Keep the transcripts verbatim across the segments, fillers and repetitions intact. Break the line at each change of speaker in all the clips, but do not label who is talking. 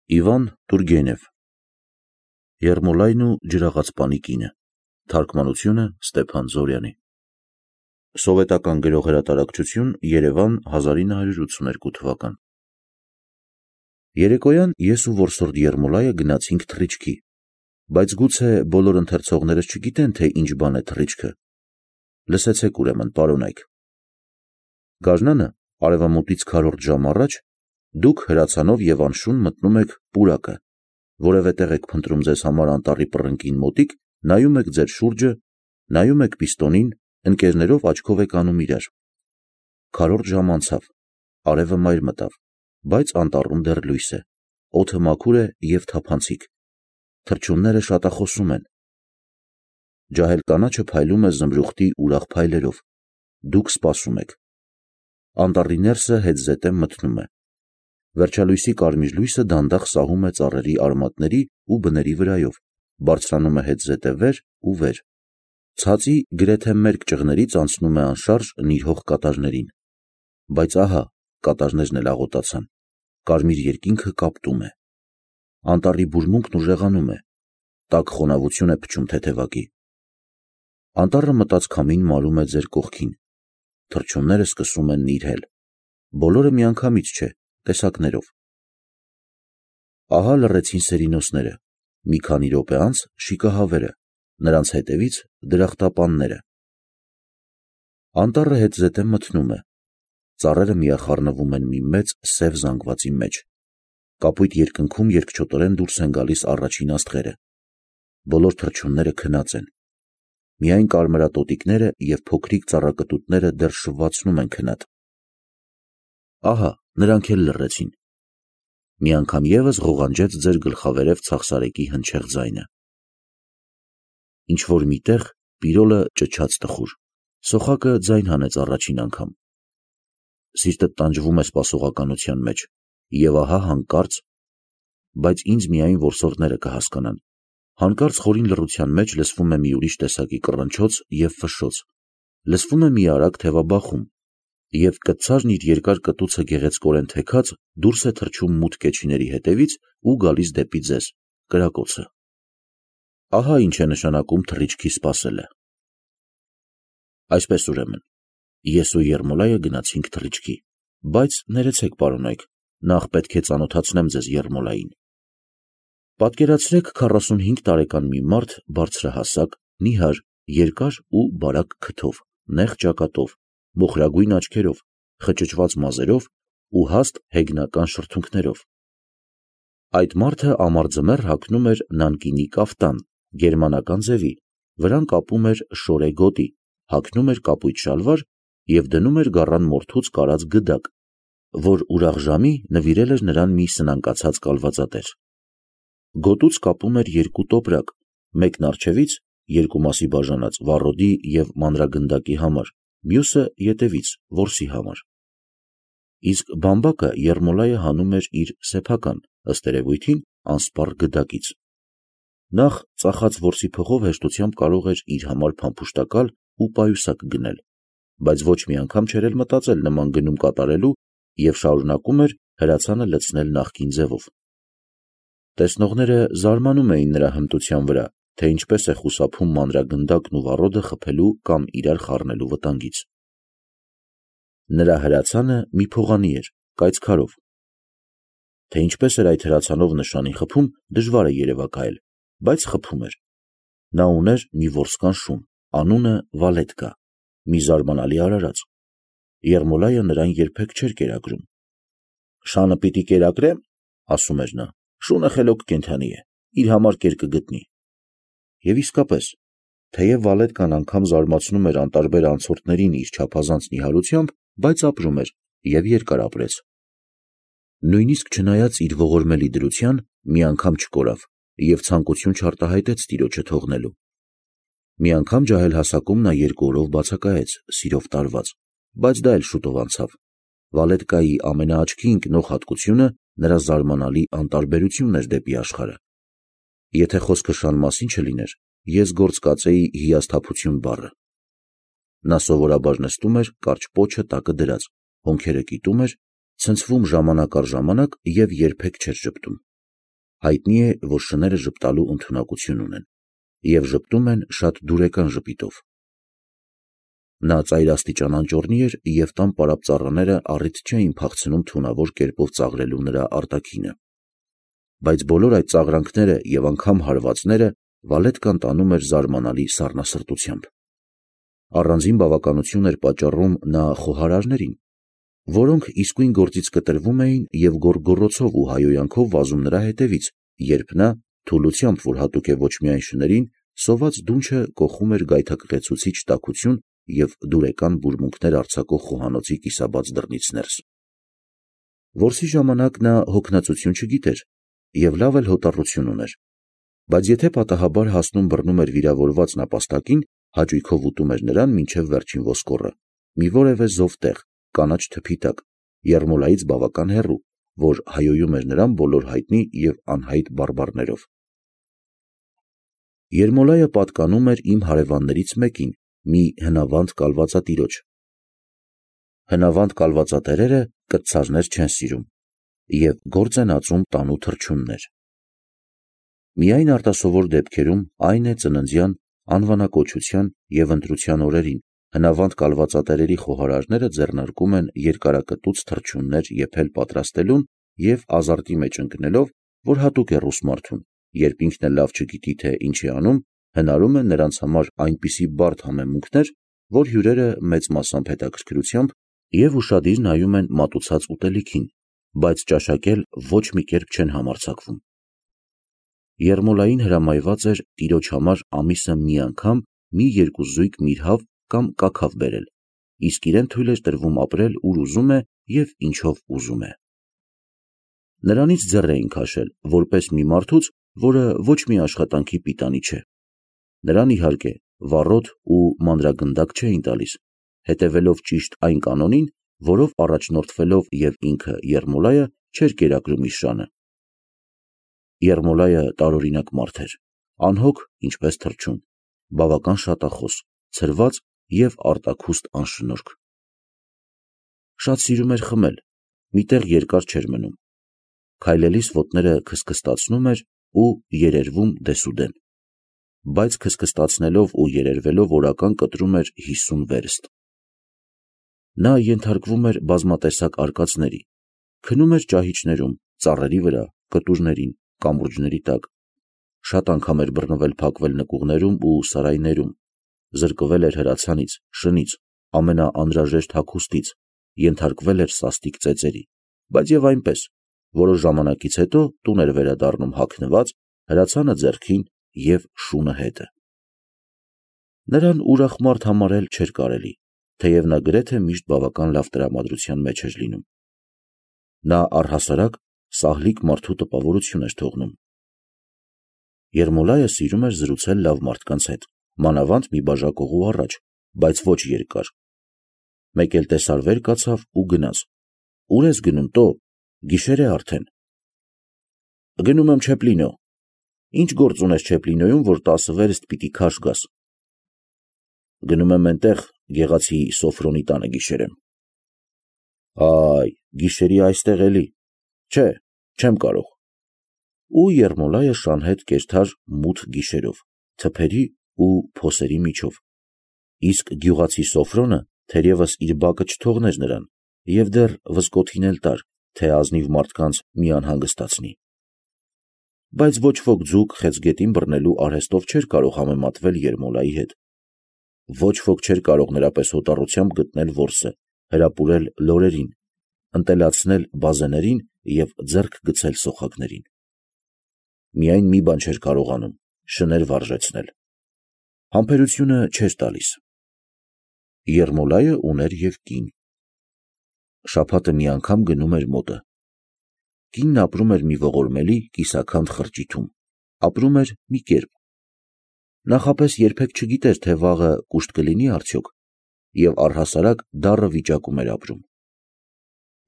Իվան Տուրգենև Երմոլայն ու ջրաղացպանի կինը, թարգմանությունը Ստեփան Զորյանի, Սովետական գրողհրատարակչություն, Երևան, հազար ինը հարյուր ութսուներկու թվական։ Երեկոյան ես ու որսորդ Երմոլայը գնացինք թռիչքի, բայց գուցե բոլոր ընթերցողներս չգիտեն, թե ինչ բան է թռիչքը։ Լսեցեք ուրեմն, պարոնայք։ Գարնանը արևամուտից քառորդ ժամ առաջ դուք հրացանով և անշուն մտնում եք պուրակը, որևէ տեղ եք փնտրում ձեզ համար անտառի պռնկին մոտիկ, նայում եք ձեր շուրջը, նայում եք պիստոնին, ընկերներով աչքով եք անում իրար։ Քառորդ ժամ անցավ, արևը մայր մտավ, բայց անտառում դեռ լույս է, օդը մաքուր է և թափանցիկ, թռչունները շատախոսում են։ Ջահել կանաչը փայլում է զմրուխտի ուրախ փայլերով, դուք սպասում եք։ Անտառի ներսը հետզհետե մթնում է։ Վերջալույսի կարմիր լույսը դանդաղ սահում է ծառերի արմատների ու բների վրայով, բարձրանում է հետզհետե վեր ու վեր։ Ցածի գրեթե մերկ ճղներից անցնում է անշարժ նիրհող կատարներին, բայց ահա կատարներն էլ աղոտացան, կարմիր երկինքը կապտում է։ Անտառի բուրմունքն ուժեղանում է, տաք խոնավություն է փչում թեթևակի։ Անտառը մտած քամին մարում է ձեր կողքին, թռչունները սկսում են նիրհել, բոլորը միանգամից չէ, տեսակներով։ Ահա լռեցին սերինոսները, մի քանի րոպե անց շիկահավերը, նրանց հետևից դրախտապանները։ Անտառը հետզհետե մթնում է, ծառերը միախառնվում են մի մեծ սև զանգվածի մեջ, կապույտ երկնքում երկչոտորեն դուրս են գալիս առաջին աստղերը, բոլոր թռչունները քնած են, միայն կարմրատոտիկները և փոքրիկ ծառակտուտները դեռ շվվացնում են քնած։ Ահա նրանք էլ լռեցին։ Մի անգամ ևս ղողանջեց ձեր գլխավերև ցախսարեկի հնչեղ ձայնը։ Ինչ-որ միտեղ պիրոլը ճչաց տխուր, սոխակը ձայն հանեց առաջին անգամ։ Սիրտդ տանջվում է սպասողականության մեջ, և ահա հանկարծ, բայց ինձ միայն որսորդները կհասկանան, հանկարծ խորին լռության մեջ լսվում է մի ուրիշ տեսակի կռնչոց և ֆշշոց, լսվում է մի արագ թևաբախում, և կտցարն իր երկար կտուցը գեղեցկորեն թեքած դուրս է թռչում մութ կեչիների հետևից ու գալիս դեպի ձեզ, կրակոցը։ Ահա ինչ է նշանակում թռիչքի սպասելը։ Այսպես ուրեմն, ես ու Երմոլայը գնացինք թռիչքի, բայց ներեցեք, պարոնայք, նախ պետք է ծանոթացնեմ ձեզ Երմոլային։ Պատկերացրեք քառասունհինգ տարեկան մի մարդ, բարձրահասակ, նիհար, երկար ու բարակ քթով, նեղ ճակատով, մոխրագույն աչքերով, խճճված մազերով ու հաստ հեգնական շրթունքներով։ Այդ մարդը ամառձմեռ հագնում էր նանկինի կաֆտան, գերմանական ձևի, վրան կապում էր շորե գոտի, հագնում էր կապույտ շալվար և դնում էր գառան մորթուց կարած գդակ, որ ուրախ ժամի նվիրել էր նրան մի սնանկացած կալվածատեր։ Գոտուց կապում էր երկու տոպրակ, մեկն առջևից, երկու մասի բաժանած վառոդի և մանրագնդակի համար, մյուսը ետևից, որսի համար։ Իսկ բամբակը Երմոլայը հանում էր իր սեփական, ըստ երևույթին, անսպառ գդակից։ Նախ ծախած որսի փողով հեշտությամբ կարող էր իր համար փամփուշտակալ ու պայուսակ գնել, բայց ոչ մի անգամ չէր էլ մտածել նման գնում կատարելու և շարունակում էր հրացանը լցնել նախկին ձևով։ Տեսնողները զարմանում էին նրա հմտության վրա, թե ինչպես է խուսափում մանրագնդակն ու վառոդը խփելու կամ իրար խառնելու վտանգից։ Նրա հրացանը մի փողանի էր, կայծքարով։ Թե ինչպես էր այդ հրացանով նշանի խփում, դժվար է երևակայել, բայց խփում էր։ Նա ուներ մի որսկան շուն, անունը Վալետկա, մի զարմանալի արարած։ Երմոլայը նրան երբեք չէր կերակրում։ «Շանը պիտի կերակրեմ», ասում էր նա, «շունը խելոք կենդանի է, իր համար կեր կգտնի»։ Եվ իսկապես, թեև Վալետկան անգամ զարմացնում էր անտարբեր անցորդներին իր չափազանց նիհարությամբ, բայց ապրում էր և երկար ապրեց։ Նույնիսկ չնայած իր ողորմելի դրության, մի անգամ չկորավ և ցանկություն չարտահայտեց տիրոջը թողնելու։ Մի անգամ ջահել հասակում նա երկու օրով բացակայեց, սիրով տարված, բայց դա էլ շուտով անցավ։ Վալետկայի ամենաաչքի ընկնող հատկությունը նրա զարմանալի անտարբերությունն էր դեպի աշխարհը։ Եթե խոսքը շան մասին չլիներ, ես գործ կածեի հիասթափություն բառը։ Նա սովորաբար նստում էր կարճ պոչը տակը դրած, հոնքերը կիտում էր, ցնցվում ժամանակ առ ժամանակ և երբեք չէր ժպտում։ հայտնի է, որ շները ժպտալու ընդունակություն ունեն և ժպտում են շատ դուրեկան ժպիտով։ Նա ծայրաստիճան անճոռնի էր և տան պարապ ծառաները առիթ չէին փախցնում թունավոր կերպով ծաղրելու նրա արտաքինը, բայց բոլոր այդ ծաղրանքները և անգամ հարվածները Վալետկան տանում էր զարմանալի սառնասրտությամբ։ Առանձին բավականություն էր պատճառում նա խոհարարներին, որոնք իսկույն գործից կտրվում էին և գոռգոռոցով ու հայհոյանքով վազում նրա հետևից, երբ նա, թուլությամբ, որ հատուկ է ոչ միայն շներին, սոված դունչը կոխում էր գայթակղեցուցիչ տաքություն և դուրեկան բուրմունքներ արձակող խոհանոցի կիսաբաց դռնից ներս։ Որսի ժամանակ նա հոգնածություն չգիտեր և լավ էլ հոտառություն ուներ, բայց եթե պատահաբար հասնում բռնում էր վիրավորված նապաստակին, հաճույքով ուտում էր նրան մինչև վերջին ոսկորը, մի որևէ զով տեղ, կանաչ թփի տակ, Երմոլայից բավական հեռու, որ հայհոյում էր նրան բոլոր հայտնի և անհայտ բարբառներով։ Երմոլայը պատկանում էր իմ հարևաններից մեկին, մի հնավանդ կալվածատիրոջ։ Հնավանդ կալվածատերերը կրտսարներ չեն սիրում և գործ են ածում տանու թռչուններ։ Միայն արտասովոր դեպքերում, այն է ծննդյան, անվանակոչության և ընտրության օրերին, հնավանդ կալվածատերերի խոհարարները ձեռնարկում են երկարակտուց թռչուններ եփել պատրաստելուն և ազարտի մեջ ընկնելով, որ հատուկ է ռուս մարդուն, երբ ինքն էլ լավ չգիտի, թե ինչ է անում, հնարում են նրանց համար այնպիսի բարդ համեմունքներ, որ հյուրերը մեծ մասամբ հետաքրքրությամբ և ուշադիր նայում են մատուցած ուտելիքին, բայց ճաշակել ոչ մի կերպ չեն համարձակվում։ Երմոլային հրամայված էր տիրոջ համար ամիսը մի անգամ մի երկու զույգ միրհավ կամ կաքավ բերել, իսկ իրեն թույլ էր տրվում ապրել ուր ուզում է և ինչով ուզում է։ Նրանից ձեռ էին քաշել, որպես մի մարդուց, որը ոչ մի աշխատանքի պիտանի չէ։ Նրան, իհարկե, վառոդ ու մանրագնդակ չէին տալիս, հետևելով ճիշտ այն կանոնին, որով առաջնորդվելով և ինքը Երմոլայը չէր կերակրում իր շանը։ Երմոլայը տարօրինակ մարդ էր, անհոգ, ինչպես թռչուն, բավական շատախոս, ցրված և արտաքուստ անշնորհք։ Շատ սիրում էր խմել, մի տեղ երկար չէր մնում, քայլելիս ոտները քստքստացնում էր ու երերվում դեսուդեն, բայց քստքստացնելով ու երերվելով օրական կտրում էր հիսուն վերստ։ Նա ենթարկվում էր բազմատեսակ արկածների, քնում էր ճահիճներում, ծառերի վրա, կտուրներին, կամուրջների տակ, շատ անգամ էր բռնվել փակվել նկուղներում ու սարայներում, զրկվել էր հրացանից, շնից, ամենաանհրաժեշտ հագուստից, ենթարկվել էր սաստիկ ծեծերի, բայց և այնպես, որոշ ժամանակից հետո տուն էր վերադառնում հագնված, հրացանը ձեռքին և շունը հետը։ Նրան ուրախ մարդ համարել չէր կարելի, թեև նա գրեթե միշտ բավական լավ տրամադրության մեջ էր լինում։ Նա առհասարակ սահլիկ մարդու տպավորություն էր թողնում։ Երմոլայը սիրում էր զրուցել լավ մարդկանց հետ, մանավանդ մի բաժակողու առաջ, բայց ոչ երկար։ Մեկ էլ տեսար վեր կացավ ու գնաց։ Ո՞ւր ես գնում, տո, գիշեր է արդեն։ Գնում եմ Չեպլինո։ Ինչ գործ ունես Չեպլինոյում, որ տասը վերստ պիտի քաշ գաս։ Գնում եմ էնտեղ, գեղացի Սոֆրոնի տանը գիշերեմ։ Այ, գիշերի այստեղ էլի։ Չէ, չեմ կարող։ Ու Երմոլայը շանհետ կերթար մութ գիշերով, թփերի ու փոսերի միջով, իսկ գյուղացի Սոֆրոնը թերևս իր բակը չթողներ նրան և դեռ վզկոթին էլ տար, թե ազնիվ մարդկանց մի անհանգստացնի։ Բայց ոչ ոք ձուկ խեցգետին բռնելու արհեստով չէր կարող համեմատվել Երմոլայի հետ։ Ոչ ոք չէր կարող նրա պես հոտառությամբ գտնել որսը, հրապուրել լորերին, ընտելացնել բազեներին և ձեռք գցել սոխակներին։ Միայն մի բան չէր կարողանում՝ շներ վարժեցնել։ Համբերությունը չէր տալիս։ Երմոլայը ուներ և կին։ Շաբաթը մի անգամ գնում էր մոտը։ Կինն ապրում էր մի ողորմելի կիսաքանդ խրճիթում, ապրում էր մի կերպ։ Նախապես երբեք չգիտեր, թե վաղը կուշտ կլինի արդյոք, և առհասարակ դառը վիճակում էր ապրում։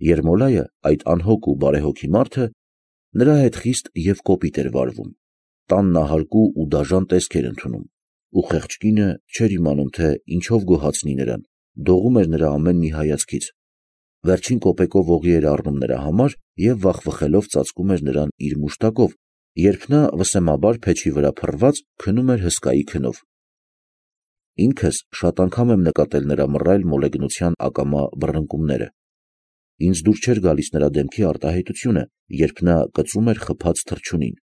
Երմոլայը, այդ անհոգ ու բարեհոգի մարդը, նրա հետ խիստ և կոպիտ էր վարվում, տան նահարկու ու դաժան տեսք էր ընդունում, ու խեղճ կինը չէր իմանում, թե ինչով գոհացնի նրան, դողում էր նրա ամեն մի հայացքից, վերջին կոպեկով օղի էր առնում նրա համար և վախվխելով ծածկում էր նրան իր մուշտակով, երբ նա վսեմաբար փեչի վրա փռված քնում էր հսկայի քնով։ Ինքս շատ անգամ եմ նկատել նրա մռայլ մոլեգնության ակամա բռնկումները։ Ինձ դուր չէր գալիս նրա դեմքի արտահայտությունը, երբ նա կծում էր խփած թռչունին։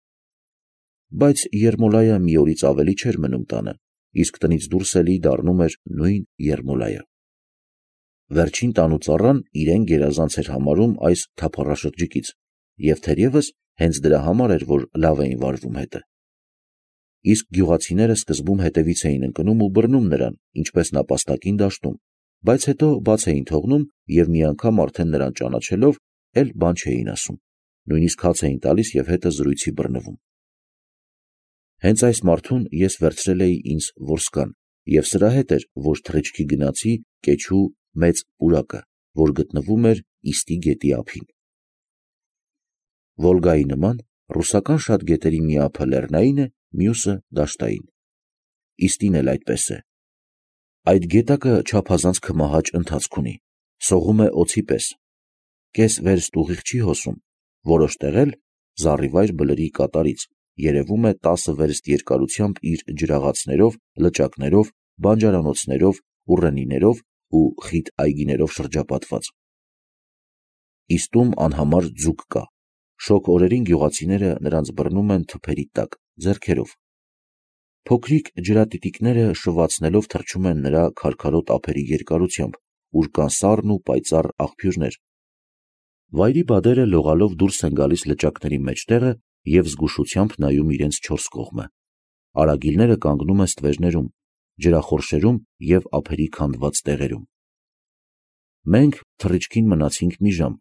Բայց Երմոլայը մի օրից ավելի չէր մնում տանը, իսկ տնից դուրս էլի դառնում էր նույն Երմոլայը։ Վերջին տանուծառան իրեն գերազանց էր համարում այս թափառաշրջիկից, և թերևս հենց դրա համար էր, որ լավ էին վարվում հետը։ Իսկ գյուղացիները սկզբում հետևից էին ընկնում ու բռնում նրան, ինչպես նապաստակին դաշտում, բայց հետո բաց էին թողնում և մի անգամ արդեն նրան ճանաչելով, էլ բան չէին ասում, նույնիսկ հաց էին տալիս և հետը զրույցի բռնվում։ Հենց այս մարդուն ես վերցրել էի ինձ որսկան, և սրա հետ էր, որ թռիչքի գնացի կեչու մեծ պուրակը, որ գտնվում էր Իստի գետի ափին։ Վոլգայի նման ռուսական շատ գետերի մի ափը լեռնային է, մյուսը դաշտային։ Իստին էլ այդպես է։ Այդ գետակը չափազանց քմահաճ ընթացք ունի, սողում է օձի պես, կես վերստ ուղիղ չի հոսում, որոշ տեղ էլ զառիվայր բլրի կատարից, երևում է տասը վերստ երկարությամբ իր ջրաղացներով, լճակներով, բանջարանոցներով, ուռենիներով ու խիտ այգիներով շրջապատված։ Իստում անհամար ձուկ կա, շոգ օրերին գյուղացիները նրանց բռնում են թփերի տակ, ձեռքերով։ Փոքրիկ ջրատիտիկները շվացնելով թռչում են նրա քարքարոտ ափերի երկարությամբ, ուր կան սառն ու պայծառ աղբյուրներ։ Վայրի բադերը լողալով դուրս են գալիս լճակների մեջտեղը և զգուշությամբ նայում իրենց չորս կողմը։ Արագիլները կանգնում են ստվերներում, ջրախորշերում և ափերի քանդված տեղերում։ Մենք թռիչքին մնացինք մի ժամ։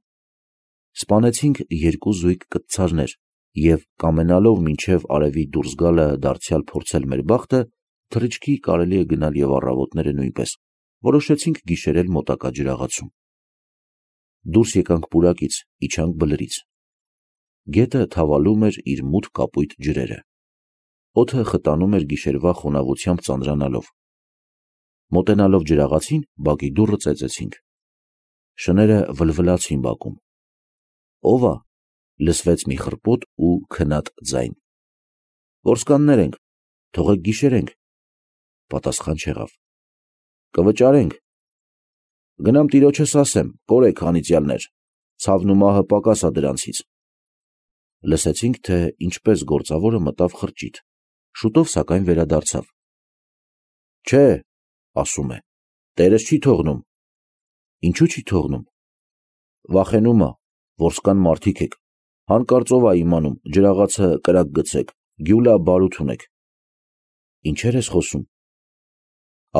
Սպանեցինք երկու զույգ կտցարներ և, կամենալով մինչև արևի դուրս գալը դարձյալ փորձել մեր բախտը, թռիչքի կարելի է գնալ և առավոտները նույնպես, որոշեցինք գիշերել մոտակա ջրաղացում։ Դուրս եկանք պուրակից, իջանք բլրից։ Գետը թավալում էր իր մութ կապույտ ջրերը։ Օդը խտանում էր գիշերվա խոնավությամբ ծանրանալով։ Մոտենալով ջրաղացին, բակի դուռը ծեծեցինք։ Շները վլվլացին բակում։ «Ո՞վ ա» լսվեց մի խռպոտ ու քնած ձայն։ «Որսկաններ ենք, թողեք գիշերենք»։ Պատասխան չեղավ։ «Կվճարենք»։ «Գնամ տիրոջս ասեմ, կորեք անիծյալներ, ցավն ու մահը պակաս ա դրանցից»։ Լսեցինք, թե ինչպես գործավորը մտավ խրճիթ, շուտով սակայն վերադարձավ։ «Չէ», ասում է, «տերս չի թողնում»։ «Ինչու՞ չի թողնում»։ «Վախենում ա, որսկան մարդիկ եք, հանկարծով ա իմանում, ջրաղացը կրակ գցեք, գյուլա բարութ ունեք»։ «Ինչեր ես խոսում»։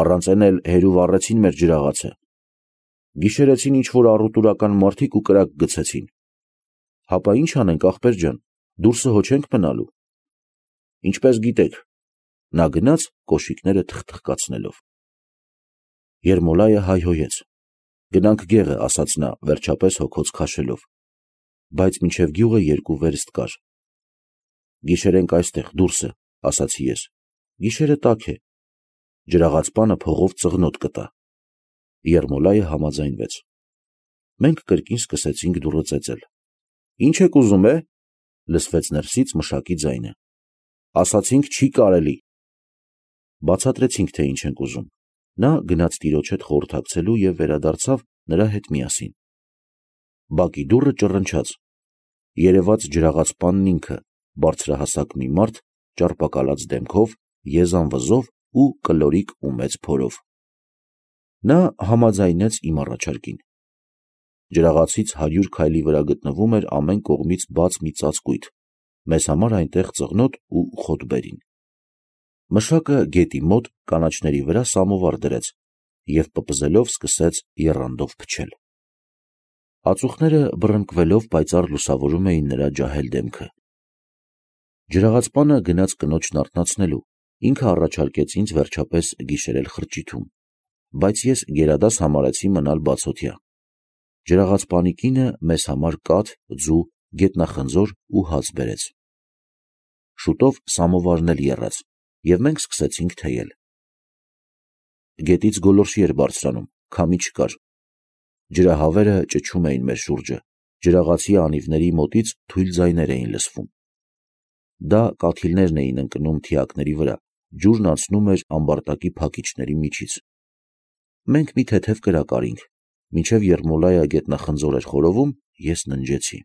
«Առանց էն էլ հեր ու վառեցին մեր ջրաղացը։ Գիշերեցին ինչ-որ առուտուրական մարդիկ ու կրակ գցեցին։ Հապա ի՞նչ անենք, ախպեր ջան, դուրսը հո չենք մնալու»։ «Ինչպես գիտեք»։ Նա գնաց կոշիկները թխթխկացնելով։ Երմոլայը հայհոյեց։ «Գնանք գեղը», ասաց նա, վերջապես հոգոց քաշելով։ Բայց մինչև գյուղը երկու վերստ կար։ «Գիշերենք այստեղ, դուրսը», ասացի ես։ «Գիշերը տաք է։ Ջրաղացպանը փողով ծղնոտ կտա»։ Երմոլայը համաձայնվեց։ Մենք կրկին սկսեցինք դուռը ծեծել։ «Ի՞նչ եք ուզում, է», լսվեց ներսից մշակի ձայնը։ «Ասացինք չի կարելի»։ Բացատրեցինք, թե ինչ ենք ուզում։ Նա գնաց տիրոջ հետ խորհրդակցելու և վերադարձավ նրա հետ միասին։ Բակի դուռը ճռնչաց։ Երևաց ջրաղացպանն ինքը, բարձրահասակ մի մարդ, ճարպակալած դեմքով, եզան վզով ու կլորիկ ու մեծ փորով։ Նա համաձայնեց իմ առաջարկին։ Ջրաղացից հարյուր քայլի վրա գտնվում էր ամեն կողմից բաց մի ծածկույթ, մեզ համար այնտեղ ծղնոտ ու խոտբերին։ Մշակը գետի մոտ կանաչների վրա սամովար դրեց և պպզելով սկսեց եռանդով փչել։ Ածուխները բռնկվելով պայծառ լուսավորում էին նրա ջահել դեմքը։ Ջրաղացպանը գնաց կնոջն արթնացնելու, ինքը առաջարկեց ինձ վերջապես գիշերել խրճիթում, բայց ես գերադաս համարեցի մնալ բացօթյա։ Ջրաղացպանի կինը մեզ համար կաթ, ձու, գետնախնձոր ու հաց բերեց։ Շուտով սամովարն էլ եռաց, և մենք սկսեցինք թեյել։ Գետից գոլորշի էր բարձրանում, քամի չկար։ Ջրահավերը ճչում էին մեր շուրջը, ջրաղացի անիվների մոտից թույլ ձայներ էին լսվում։ Դա կաթիլներն էին ընկնում թիակների վրա, ջուրն անցնում էր ամբարտակի փակիչների միջից։ Մենք մի թեթև կրակ արինք, մինչև Երմոլայը գետնախնձոր էր խորովում, ես ննջեցի։